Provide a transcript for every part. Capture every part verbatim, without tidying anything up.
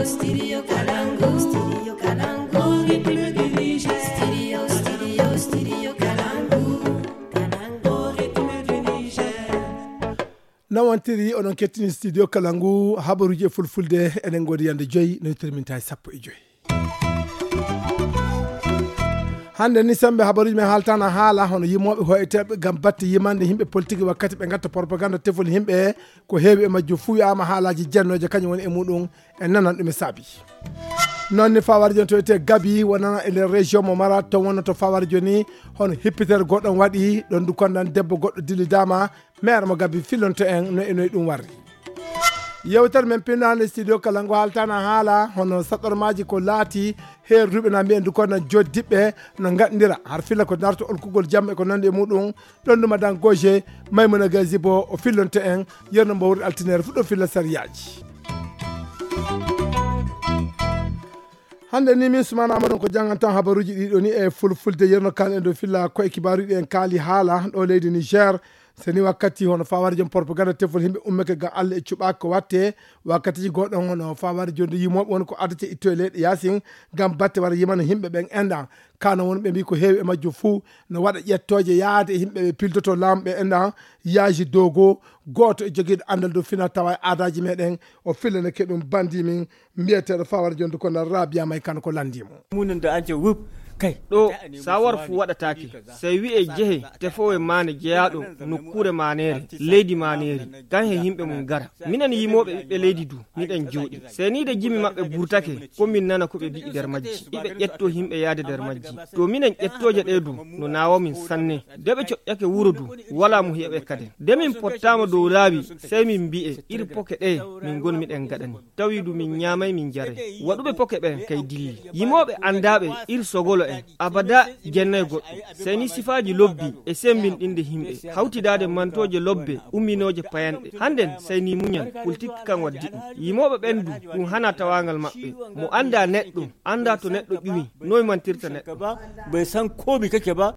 Studio Kalangu, Studio Kalangu, République du Niger. Studio, Studio, Studio Kalangu, Kalangu, République du Niger. Nawantiri onon kettini studio Kalangu habaruji e fulfulde enen godi yande joyi no terminta e sappo e joyi. Hannde ni sembe habaruji men haaltana haala hono yimoɓe hoyeteɓe gam batte yimande yimɓe politique wakkati ɓe gatta propagande tefol yimɓe ko heewi e majjum fuu wiyaama haalaaji jennooje kañum woni e muɗum en nanan ɗum e saabi. Noon ni fawar joni to wiyetee gabi wonana e nder région mo mara to wonno to fawar joni hono hippitere goɗɗon waɗi ɗon du kondan debbo goɗɗo dillidaama maire mo gabi fillonto en no e noy ɗum warri. Yewtere men pinnaande studio kala ngo haaltana haala hono saɗɗormaaji ko laati heerduɓe na mbiyen du kondan joddiɓɓe no ngaɗndira har filla ko darto olkugol jam e ko nandi e muɗum. Ɗon ɗum adan goje maymuna gazibo o fillonto en yerno mbo wurdi altinere fuɗɗo filla sariyaaji. Hannde ni min sumana amadon ko jannganton habaruuji ɗiɗo ni e fulfulde yerno kan en ɗo filla koye kibaaruji ɗi en kaali haala ɗo leydi niger. So ni wakkati hono faware joom propagande tefol yimɓe ummeke ngam allah e cuɓaaki ko watte wakkatiji goɗɗon hono faware jonde yimoɓe woni ko addete itto e leyɗe yasin ngam batte wara yimana yimɓe ɓen enɗan kano woni ɓe mbi ko heewi e majjum fuu no waɗa ƴettooje yaade e yimɓe ɓe piltoto laamu ɓe enɗan yaaji dogo gooto e jogiiɗo anndal dow fina tawa e aadaaji meɗen o fillanake ɗum bandi min mbiyeteeɗo fawar jonde ko nder rabia may kano ko lanndimo. Munen da an ce wup kai ɗo sawar fu waɗataake. Sey wi'e jehe tefowe maane jeyaaɗo nokkuure maaneere leydi maaneeri kan he yimɓe mum gara. Minen yimooɓe ɓiɓɓe leydi du miɗen jooɗi sey ni de jimi maɓɓe burtake ko min nana ko ɓe mbi'i nder majji iɓe ƴetto yimɓe yaade nder majji. To minen ƴettooje ɗe du no naawa min sanne. De ɓe coƴƴake wuro du walaa mo heɓe kaden de min pottaama dow laawi sey min mbi'e iri poke ɗe min ngon miɗen ngaɗani. Tawi du min ñaamay min jaray. Waɗuɓe poke ɓen kay dilli yimooɓe anndaaɓe ir sogolo en abada jennay goɗɗo. Sey ni sifaaji lobbi e semmbinɗinde yimɓe hawtidaade mantooje lobbe umminooje payanɗe hannden sey ni muñal politik kan waddi ɗum. Yimooɓe ɓen du ɗum hana tawaangal maɓɓe. Mo anndaa neɗɗo anndaa to neɗɗo ƴuwi noy mantirta neɗɗo. Bai san komi kake ba.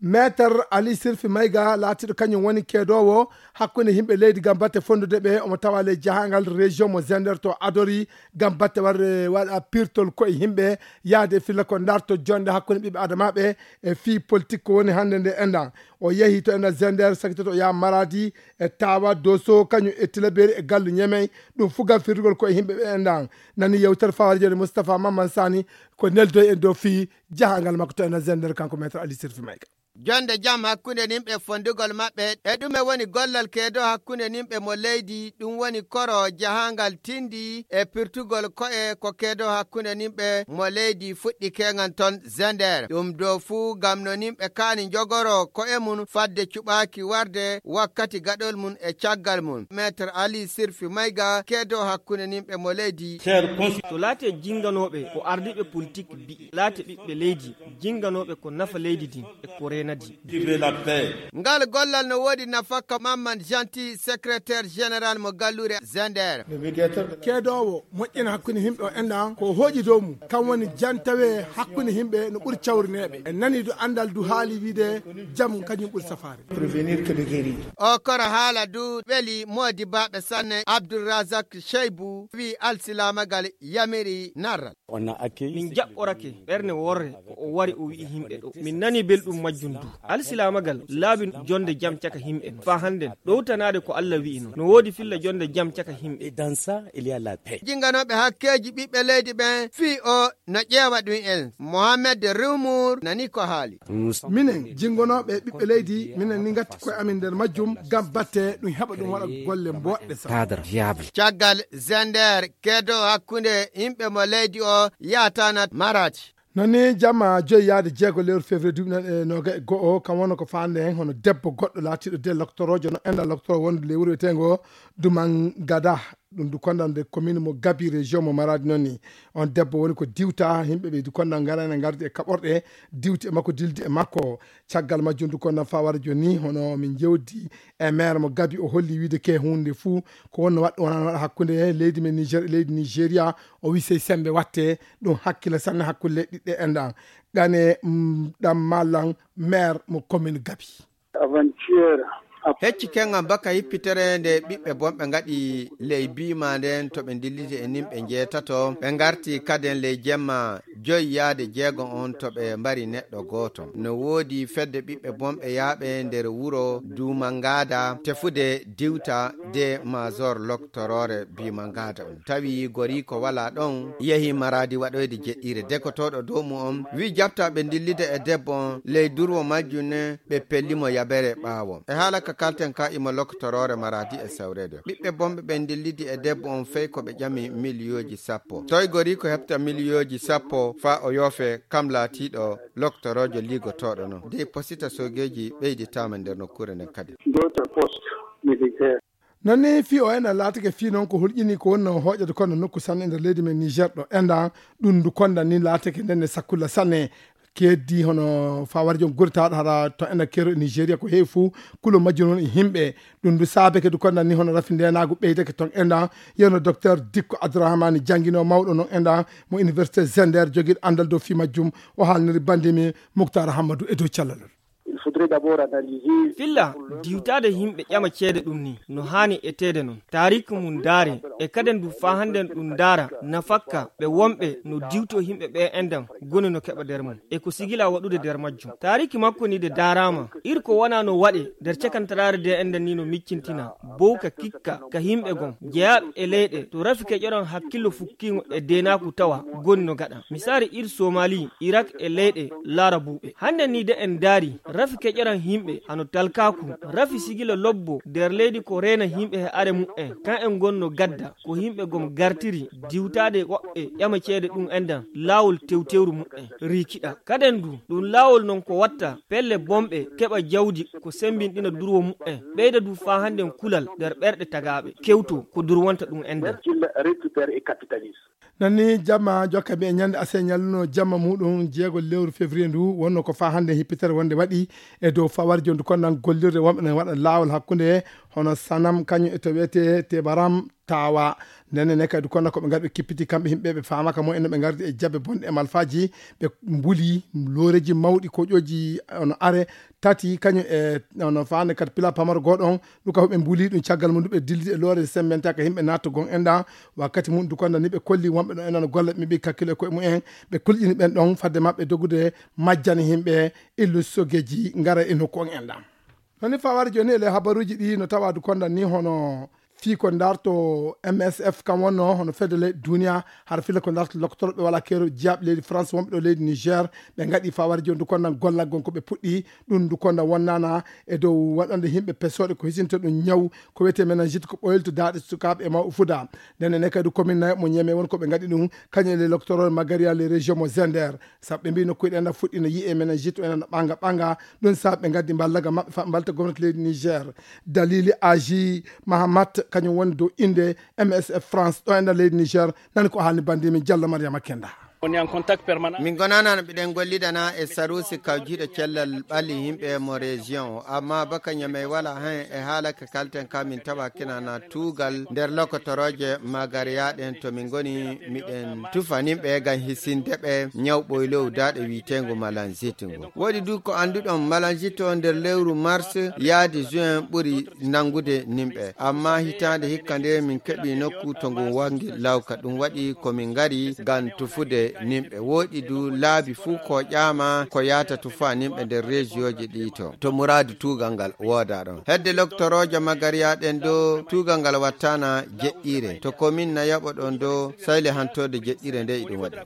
Maître Ali Sirfi Mayga laatiiɗo kañum woni keedoowo hakkunde yimɓe leydi ngam batte fonndude ɓe omo tawa ley jahangal région mo Zender to adori ngam batte warde waɗa pirtol koye yimɓe yahde e filla ko darto jonde hakkunde ɓiɓɓe adamaaɓe e fii politique ko woni hannde nde enɗan. O yehi to enɗan Zender sakitoto o yaha Maradi e Tawa Doso kañum e Tilaberi e Gallu Ñemey. Ɗum fuu ngam firtugol koye yimɓe ɓe enɗan. Nani yewtere fawari joni Moustapha Mamman Sani ko neldoy en dow fii jahangal makko to enɗan Zender kanko maître Ali Sirfi Mayga. Jonde jam hakkunde nimɓe fondugol maɓɓe e ɗume woni gollal keedo hakkunde nimɓe mo leydi ɗum woni koro jahangal tindi e pirtugol ko'e ko keedo hakkunde nimɓe mo leydi fuɗɗi keŋan ton Zender ɗum dow fuu ngam no nimɓe kaani njogoro ko'e mum fadde cuɓaaki warde wakkati gaɗol mum e caggal mum. Maître Ali Sirfi Mayga keedo hakkunde nimɓe mo leydi. To laate jinganooɓe ko ardiiɓe politik mbi'i laate ɓiɓɓe leydi jinganooɓe ko nafa leydi ndin e ko reenadi. Ngal gollal no woodi nafakka Mamman Janti secrétaire général mo gallure Zender. Keedoowo moƴƴina hakkunde yimɓe o enɗan ko hooƴi dow mum kam woni jantawe hakkunde yimɓe no ɓuri cawrineeɓe en nani du anndal du haali wiide jam kañum ɓuri safaare. O koro haala du ɓeli moodi baaɓe sanne Abdulrazak Sheibu wi alsilaamagal yamiri narral. Min jaɓɓorake ɓerne worre ko o wari o wi'i yimɓe ɗo min nani belɗum majjum du alsilaamagal laabi jonde jam caka yimɓe no faa hannden ɗowtanaade ko Allah wi'ino no woodi filla jonde jam caka yimɓe. Dans ça il y a la paix. Jinganooɓe hakkeeji ɓiɓɓe leydi ɓen fii o no ƴeewa ɗum en Mohamed Rumour nani ko haali. Minen jingonooɓe ɓiɓɓe leydi minen ni ngatti koye amin nder majjum ngam batte ɗum heɓa ɗum waɗa golle mboɗɗe sa. Cadre viable. Caggal Zender keedo hakkunde yimɓe mo leydi o yaatana maraaji. Nani jamma joyi yaade jeego lewru février duuɓi nan e noga e go'o kam wonno ko faande hen hono debbo goɗɗo laatiiɗo de loktorojo no enda loktoro wonde ley wuro wiyeteengo Dumangada. Ɗum du kondande commune mo Gabi région mo Maradi noon ni. On debbo woni ko diwta yimɓe ɓe du kondal ngara ene ngardi e kaɓorɗe diwti e makko dildi e makko. Caggal majjum du kondal fawara jooni hono min jewdi e maire mo Gabi o holli wiide ke hunde fuu ko wonno waɗɗo wonano waɗa hakkunde leydi men Niger e leydi Nigeria. O wi sey sembe watte ɗum hakkila sanne hakkunde leyɗe ɗiɗɗe enɗan. Gane ɗam mallan maire mo commune Gabi. Avant-hier, Hecci kengan baka hippitere nde ɓiɓɓe bonɓe ngaɗi ley biima nden to ɓe ndilliti e nimɓe njeetato, ɓe ngarti kaden ley jemma joyi yaade jeego on to ɓe mbari neɗɗo gooto. No woodi fedde ɓiɓɓe bonɓe yaaɓe nder wuro Duumangaada tefude diwta de Mazor loktoroore Biimangaada on. Tawi goriiko walaa ɗon, yehi Maraadi waɗoyde jeɗɗiire. Dekotooɗo dow mu on wi jaɓta ɓe ndillida e debbo on ley durwo majjum ne, ɓe pellimo yabere ɓaawo. E haala ka kalten ka imo loktoroore Maraadi e sawreede. Ɓiɓɓe bonɓe ɓen ndillidi e debbo on fey ko ɓe ƴami miliyooji sappo. Toy goriiko heɓta miliyooji sappo faa o yoofe kam laatiiɗo loktoroojo liigotooɗo non? Dey posita soogeeji ɓeyditaama nder nokkuure nden kadi. D'autres postes militaires. Non ni fii o ena laatake fii non ko hulƴini ko woni no hooƴade kono nokku sanne nder leydi men Niger ɗo enda ɗum ndu konda ni laatake nden ne sakkulla sanne. Keddi hono fawari jon gurtaaɗo hara to enda kero e Nigeria ko heewi fuu kulo majjum non e himɓe. Ɗum ndu saabeke ndu konda ni hono rafi ndenaagu ɓeydake ton enda. Yewno docteur Dikko Abdourahmane janngino mawɗo non enda mo université Zender jogiiɗo anndal dow fii majjum. O haalniri bandimi Muktar Hammadou e dow callalol. Il faudrait d'abord analyser. Filla diwtaade yimɓe ƴama ceede ɗum ni no haani eteede non. Taariiki mum ndaare e kaden du faa hannden ɗum ndaara nafakka ɓe wonɓe no diwtoo yimɓe ɓe endan goni no keɓa nder mum e ko sigila waɗude nder majjum. Taariiki makko ni de ndaaraama ir ko wonaa no waɗe nder cakantaraare de endan ni no miccintina bowka kikka ka yimɓe gon jeyaaɓe e leyɗe to rafi keƴoran hakkillo fukkiingo e deenaaku tawa goni no gaɗa. Misaari ir Somali, Irak e leyɗe laarabuuɓe. Hannde ni de en ndaari rafi keƴoran yimɓe hano talkaaku, rafi sigila lobbo nder leydi ko reena yimɓe he are mu'en. Kan en gonno gadda ko yimɓe gom gartiri diwtaade woɓɓe ƴama ceede ɗum endan laawol tewtewru mu'en riikiɗa. Kaden du ɗum laawol non ko watta pelle bonɓe keɓa jawdi ko sembinɗina durwo mu'en. Ɓeyda du faa hannden kulal nder ɓerɗe tagaaɓe kewto ko durwonta ɗum endan. Qu'il récupère et capitalise. Nani jamma jokka mbi'e ñande ase ñalluno jamma muɗum jeego lewru février ndu wonno ko faa hannde hippitere wonde waɗi e dow fawari jondu kon nan gollirde wonɓe nan waɗa laawol hakkunde hono Sanam kañum e to wiyete Tebaram Tawa. Ndenne ne kadi du konna ko ɓe ngarɓe kippiti kamɓe yimɓe ɓe faamaka mo en no ɓe ngardi e jabbe bonɗe e malfaaji ɓe mbuli looreji mawɗi koƴoji ono are tati kañum e ono faande kadi pila pamaro gooɗo on ɗum ka huɓe mbuli ɗum caggal mum ndu ɓe dillidi e loore sembentaka yimɓe nattugol enɗa wakkati mum du konda ni ɓe kolli wonɓe ɗo enano golle ɓe mbi kakkilo e koye mumen ɓe kulƴini ɓen ɗon fadde maɓɓe dogude majjani yimɓe illu sogeji ngara e nokku on enɗa. Nani fawari joni ele habaruji ɗi no tawa du konda ni hono fii ko ndarto M S F kam wonno hono fedde leyɗe duniya hara fila ko ndarto loktorɓe wala kero jiyaaɓe leydi France wonɓe ɗo leydi Niger ɓe ngaɗi fawari joni du kondan gollal gon ko ɓe puɗɗi ɗum du kondan wonnana e dow waɗande yimɓe pesoɗe ko hisinta ɗum ñaw ko wiyete meningite ko ɓoylto daaɗe sukaaɓe e mawɓe fuda. Ndenne ne kadi commune nayo mo ñeme won ko ɓe ngaɗi ɗum kañum e le loktorol magaria le région mo Zender. Sabu ɓe mbi nokkuuji ɗen na fuɗɗi no yi'e meningite o ena no ɓanga ɓanga. Ɗum sabu ɓe ngaddi mballaga maɓɓe fa mbalta gomnati leydi Niger. Dalili Aji Mahamat kañum woni dow innde M S F France ɗo e nder leydi Niger. Nani ko haalni bandi min Diallo Mariama Kenda. On est en contact permanent. Min gonana no ɓiɗen gollidana e sarusi kawjiiɗo cellal ɓalli yimɓe mo région o amma baka ñamey wala hen e haala ka kalten ka min tawa kinana tuugal nder lokotorooje magariya ɗen to min ngoni miɗen tufaninɓe ngam hisinde ɓe ñaw ɓoylow daaɗe wiitengu malanzite ngu woɗi du ko annduɗon malanzite o nder lewru mars yaadi juin ɓuri nanngude nimɓe amma hitaande hikka nde min keɓi nokku to ngun wangi lawka ɗum waɗi ko min ngari ngam tufude nimɓe woɗi du laabi fuu ko ƴaama ko yaata tufa nimɓe nder rejiyooji ɗi to to muraadu tuugal ngal wooda ɗon hedde loktoroojo magariya ɗen do tuugal ngal wattana jeɗɗiire to komin na yaɓo ɗon do sayle hantorde jeɗɗiire nde iɗum waɗi.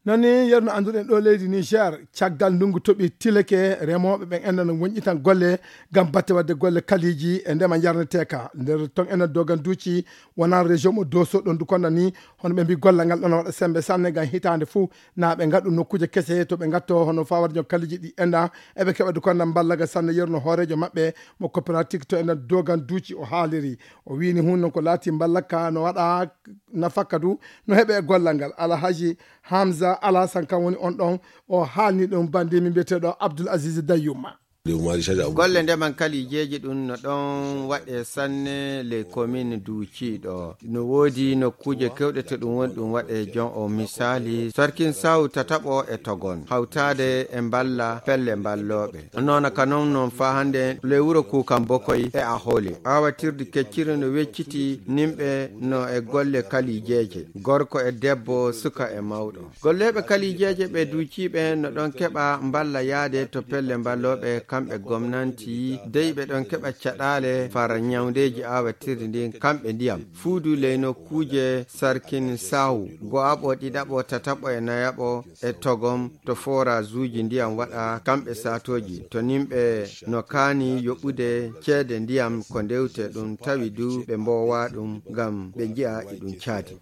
Nani yerno annduɗen ɗo leydi Niger caggal ndungu toɓi tileke remooɓe ɓen enɗan wonƴitan golle ngam batte waɗde golle kaliiji e ndema yarneteeka nder ton enɗan dogan duuci wonaa région mo doso ɗon du konda ni hono ɓe mbi gollal ngal ɗon waɗa sembe sanne ngam hitaande fuu na ɓe ngaɗu nokkuuje kese to ɓe ngatto hono fawade jon kaliiji ɗi enɗan eɓe keɓa du konda mballaga sanne yerno hooreejo maɓɓe mo coopérative to enɗan dogan duuci o haaliri o wini hun non ko laati mballaka no waɗa nafakka du no heɓe e gollal ngal alhaji Hamza Alasan kan woni on ɗon o haalni ɗum bandimi mbiyeteeɗo Abdoul Aziz Dayouma. Golle ndeman kalijeeji ɗum no ɗon waɗe sanne ley komin Duuci ɗo. No woodi nokkuuje kewɗe to ɗum woni ɗum waɗe jon o misaali, Sarkin Sawu tataɓo e Togon, hawtaade e mballa pelle mballooɓe. Noona ka non non faa hannde ley wuro Kuukan Bokoy e Ahole. Aawatirdi kecciri no wecciti nimɓe no e golle kalijeeje, gorko e debbo, suka e mawɗo. Golleeɓe kalijeeje ɓe duuciiɓe no ɗon keɓa mballa yaade to pelle mballooɓe kamɓe gomnanti, dey ɓe ɗon keɓa caɗaale far ñawndeeji aawatirdi ndin kamɓe ndiyam. Fuudu ley nokkuuje Sarkin Sawu, go'aɓo, ɗiɗaɓo, tataɓo e nayaɓo e Togom to forazuuji ndiyam waɗa kamɓe saatooji. To nimɓe no kaani yoɓude ceede ndiyam ko ndewte ɗum tawi du ɓe mboowa ɗum ngam ɓe nji'a e ɗum caadi.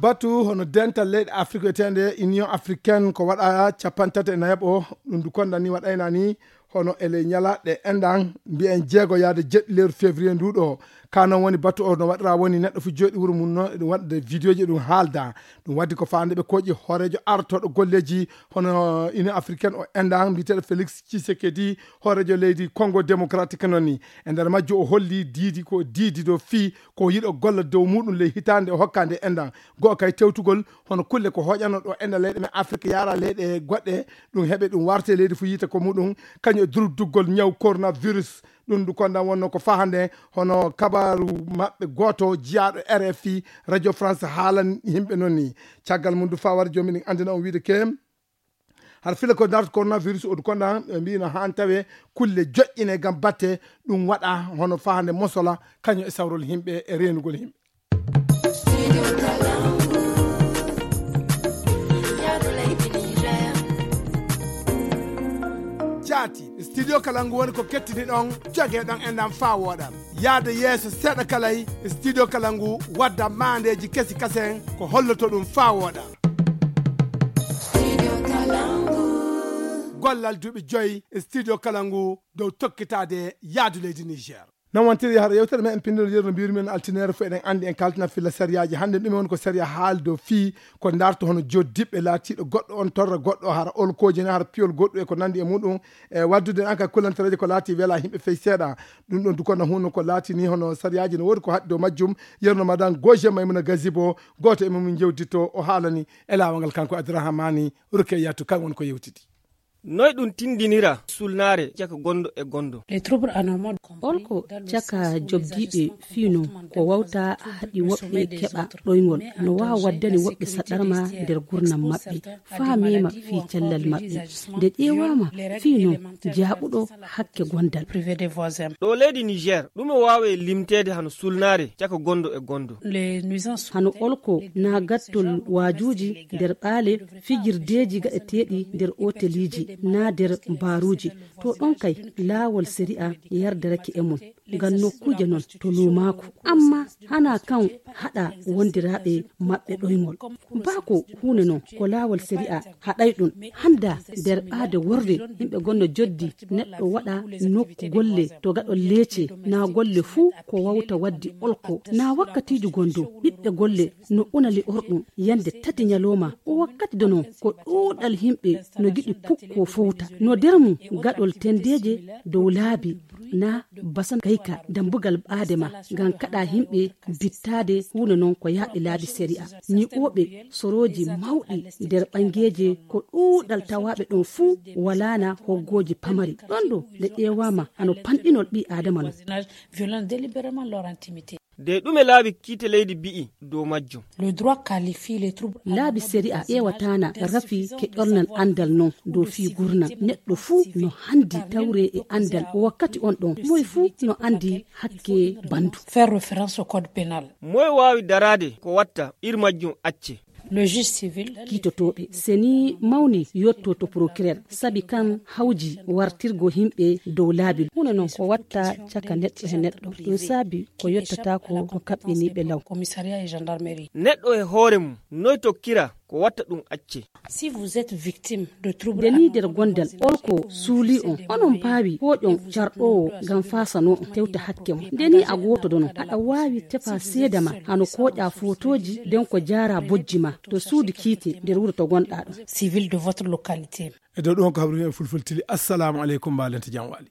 Batu hono dental leyɗe Afrik wiyeteende Union Africaine ko waɗa capanɗe tati e nayaɓo, ɗum du konda ni waɗayna ni hono e ley ñalaɗe enɗan mbiyen jeego yaade jeɗɗi lewru février ndu ɗo. Ka non woni batu o no waɗira woni neɗɗo fu jooɗi wuro mum no e ɗum waɗde vidéo ji ɗum haalda. Ɗum waddi ko faande ɓe koƴi hooreejo artoɗo golleji hono Union Africaine o enɗan mbiyeteɗo Félix Tshisekedi, hooreejo leydi Congo Démocratique non ni. E nder majjo o holli diidi ko diidi do fii ko yiɗo golla dow muɗum ley hitaande o hokka nde enɗan. Go'o kay tewtugol hono kulle ko hoƴano ɗo enɗan leyɗe men Afrik yaara leyɗe goɗɗe, ɗum heɓe ɗum warte leydi fu yiita ko muɗum, kañum e durduggol ñaw coronavirus. Ɗum ndu kondan wonno ko fahande hono kabaru maɓɓe gooto jiyaaɗo R F I, Radio France haalan yimɓe non ni. Caggal mum du fawar jomi ɗin andina on wiide ke har fila ko darto coronavirus o du kondan ɓe mbiino han tawe kulle joƴƴine ngam batte ɗum waɗa hono fahande mosola kañum e sawrol yimɓe e reenugol yimɓe. Jaati, studio kala ngu woni ko kettini ɗon joge ɗon e ndam faa wooɗa. Yaade yeeso seeɗa kalay, studio kala ngu wadda maandeeji kesi kasen ko holloto ɗum faa wooɗa. Gollal duuɓi joyi studio kala ngu dow tokkitaade yaadu leydi Niger. Non wontiri hara yewtere men en pinndol yeru no mbiyrumen altineere fof eɗen anndi en kaltina filla sariyaaji hannde ɗum woni ko sariya haali dow fii ko ndarto hono joddiɓɓe laatiiɗo goɗɗo on torra goɗɗo hara olkooji ne hara piyol goɗɗo e ko nanndi e muɗum e waddude en ka kullantareeje ko laati wela yimɓe fey seeɗa. Ɗum ɗon dukonda hunno ko laatini hono sariyaaji no woodi ko haɗi dow majjum. Yerno madan Goje Maymuna Gazibo, gooto e mum jewditto o haalani e laawol ngal kanko Abdourahmani Rukeyatu kan woni ko yewtidi. Noy ɗum tindinira sulnaare caka gondo e gondo? Olko caka jobdiiɓe fii non ko wawta haɗi woɓɓe keɓa ɗoyngol no waawa waddani woɓɓe saɗarma nder gurnam maɓɓe faa meema fii cellal maɓɓe. Nde ƴeewaama fii non jaaɓuɗo hakke gondal. Ɗo leydi Niger ɗume waawe limteede hano sulnaare caka gondo e gondo? Hano olko naa gattol waajuuji nder ɓaale, fijirdeeji gaɗeteeɗi nder oteliiji naa nder baaruuji. To ɗon kay laawol sari'a yardarake e mum ngam nokkuuje non to luumaaku. Amma hanaa kan haɗa wondiraaɓe maɓɓe ɗoyngol. Baa ko huunde non ko laawol sari'a haɗay ɗum. Hannda nder ɓaade worre yimɓe gonno joddi neɗɗo waɗa nokku golle to gaɗol leece naa golle fuu ko wawta waddi olko naa wakkatiiji gondo ɓiɓɓe golle no unali orɗum yande tati ñalowma o wakkati dono ko ɗuuɗal yimɓe no giɗi pukko fowta no nder mum gaɗol tendeeje dow laabi naa basan kayka dambugal ɓaade ma ngam kaɗa yimɓe bittaade huunde non ko yaaɓi laabi sari'a ñiɓooɓe sorooji mawɗi nder ɓangeeje ko ɗuuɗal tawaaɓe ɗon fuu walaana hoggooji pamari ɗon ɗo nde ƴeewaama hano panɗinol ɓii aadama non. De ɗume laabi kiite leydi bi'i dow majjum? Laabi sari'a ƴeewataana rafi keƴornal anndal non dow fii gurnam neɗɗo fuu no hanndi tawre e anndal wakkati on ɗon moye fuu no anndi hakke bandu. Moye waawi daraade ko watta ir majjum acce? Kiitotooɓe seni mawni yotto to procureur sabi kan hawji wartirgo yimɓe dow laabi huunde non ko watta caka neɗɗo e neɗɗo ɗum saabi ko yottata ko ko kaɓɓiniiɓe law. Neɗɗo e hoore mum noy tokkira ko watta ɗum acce. Si vous êtes victime de trouble, nde ni nder gondal olko suuli on, onon paawi koƴon carɗoowo ngam fasanoo on tewta hakke mo. Nde ni a gooto dono, aɗa waawi tefa seeda ma hano koƴa fotooji nden ko jaara bojji ma to suudu kiite nder wuro to gonɗa ɗon. Civil de votre localité. E dow ɗon ko habri en fulfultili. Assalamu aleykum, mbalente jam waali.